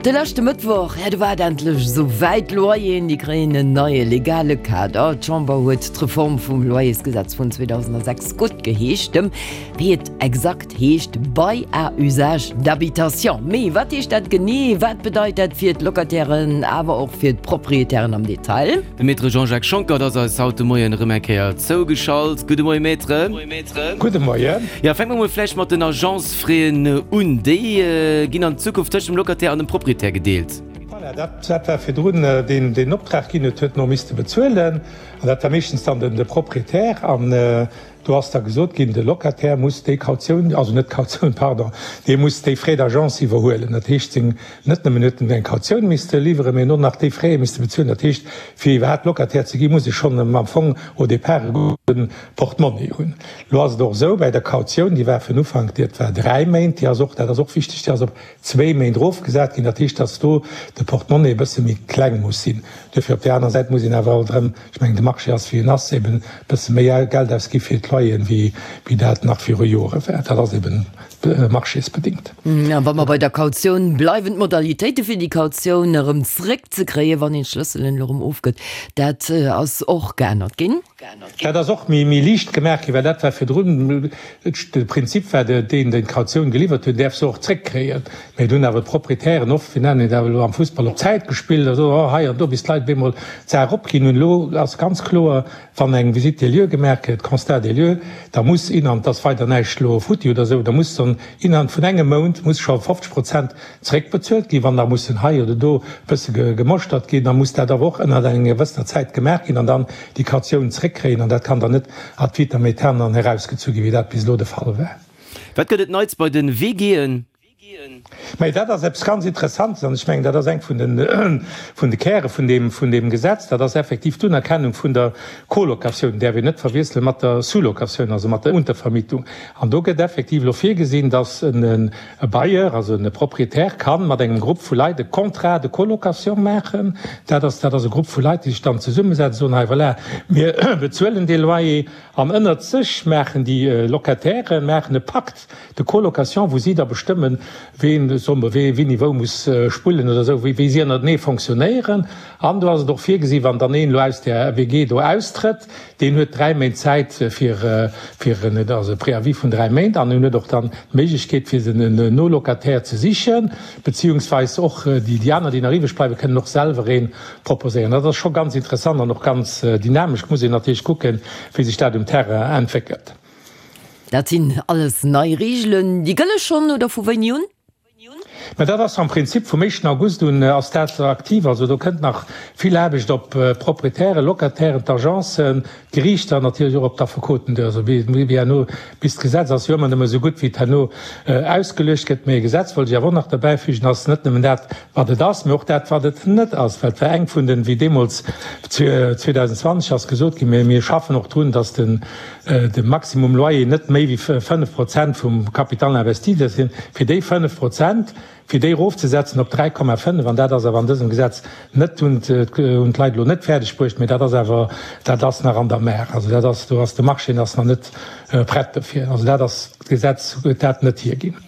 De leschte Mëttwoch, jo, do war et endlech esou wäit, D'Loyeren, déi kréien en neie legale Kader. D'Chamber huet d'Reform vum Loyersgesetz vun 2006 guttgeheescht, dem, wéi et exakt heescht, Bail à usage d'habitation. Mee wat heescht dat genee? Wat bedeit dat fir d'Locatairen, awer och fir d'Proprietären am Detail? De Maître Jean-Jacques Schonckert ass eis haut de Moien erëm eng Kéier zougeschalt. Gudde Moien, Maître. Gudde Moien. Jo, fänke mer mol vläicht mat den Agencefraisen un. Déi ginn an Zukunft tëscht dem Locataire an dem Proprietär gedeelt. Voilà, dat war virdrun deen, deen Optrag ginn huet, huet en och misste bezuelen. An dat war meeschtens dann de Proprietär. An Do ass da gesot ginn, de Locataire muss déi Kautioun, also net d'Kautioun, pardon, dee muss déi Frais d'agence iwwerhuelen. Dat heescht, seng, net nëmmen huet en eng Kautioun misste liwweren, mee en och nach déi Fraie misste bezuelen. Dat heescht, fir iwwerhaapt Locataire ze ginn, muss e schonn am Fong au départ e gudde Portmonni hunn. Elo ass et och esou, bei der Kautioun, déi war fir den Ufank, dat war dräi Méint, déi ass och, dat ass och wichteg, déi ass op zwéi Méint erofgesat ginn. Dat heescht, dass do de Portmonni e bësse méi kleng muss sinn. Duerfir op där aner Säit muss een awer alt erëm, ech mengen, de Marché ass wéi en ass, eben e bësse méi Geld ausgi fir d'Loyeren, wéi dat nach viru Jore war. Dat ass eben marchésbedingt. A wa mer bei der Kautioun bleiwen, d'Modalitéite fir déi Kautioun erëm zréckzekréien, wann een d'Schlësselen elo erëm ofgëtt, dat ass och geännert ginn. Dat ass och méi liicht gemaach ginn, well dat war virdrun, de Prinzip war deen, deen d'Kautioun geliwwert huet, däerf se och zréckkréien. Mee et hunn awer d'Proprietären oft, wéi nennen een dat elo am Fussball, op Zäit gespillt a soen, oh hei an do, bis d'Leit op eemol d'Saach opginn hunn. Elo ass ganz kloer, wann eng Visite des lieux gemaach gëtt, Constat des lieux, da muss innerhalb, et ass weider näischt elo futti oder esou, da muss dann innerhalb vun engem Mount muss scho 50 Prozent Zréckbezuelt ginn. Wann da mussen hei oder do e bësse gemoschtert ginn, da muss dat awer och ënnert enger gewëssener Zäit gemaach ginn an dann déi Kautioun zréckkréien. An dat kann dann net ad vitam aeternam erausgezu ginn, wéi dat bis elo de Fall war. Wat gëtt et Neits bei de WGen? Mä dat ass eppes ganz Interessantes an ech mengen, dat ass eng vun de vun de Käre vun deem vun deem Gesetz. Dat ass effektiv d'Unerkennung vun der Colocatioun, däerf een net verwiessele mat der Sous-locatioun, also mat der Untervermietung. An do gëtt effektiv elo virgesinn, dass en E Bailleur, also e Proprietär, kann mat engem Grupp vu Leit e Contrat de colocation maachen. Dat ass, dat ass e Grupp vu Leit, déi sech dann zesummesetzen, soen, hei voilà, mir bezuelen dee Loyer. An ënnert sech maachen déi Locatairen maachen e Pacte de colocation, wou si da bestëmmen, ween, soe mer, wee wéini wou muss spullen oder esou, wéi si ënnertenee fonctionnéieren. An do ass et och virgesi, wann dann een elo aus där WG do austrëtt, Deen huet 3 Méint Zäit fir, fir en, et ass e Préavis vun 3 Méint, an en huet och dann d'Méiglechkeet fir sech en Nolocataire ze sichen, beziehungsweis och déi, déi aner, déi nach iwwreg bleiwen, kënnen och selwer ee proposéieren. Dat ass scho ganz interessant an och ganz dynamesch. Muss een natierlech kucken, wéi sech dat um Terrain entwéckelt. Dat sinn alles nei Reegelen. Déi gëlle schonn, oder vu wéini un? Mä dat ass am Prinzip vum éischten August un ass dat aktiv. Also do kënnt nach vill Aarbecht op d'Proprietären, Locatairen, d'Agencen, d'Geriichter an natierlech och op d'Affekoten duer. Also wéi herno, bis d'Gesetz ass jo ëmmer nëmme esou gutt, wéi et herno ausgeluecht gëtt. Mä e Gesetz, wollt ech awer och nach derbäifügen, ass net nëmmen dat, wat et ass, mä och dat, wat et net ass. Well et war eng vun den, wéi deemools 2020 ass gesot ginn, mir schaffen och drun, datt den, de Maximum Loyer net méi wéi 5 Prozent vum Capital investi sinn, fir déi 5 Prozent, fir déi erofzesetzen op 3,5, an dat ass awer an dësem Gesetz net, hunn d'Leit elo net fäerdeg bruecht, mä dat ass awer, dat ass nach an der Maach. Also dat ass, do ass de Marché ass nach net prett dofir. Also dat ass, d'Gesetz huet dat net hierginn.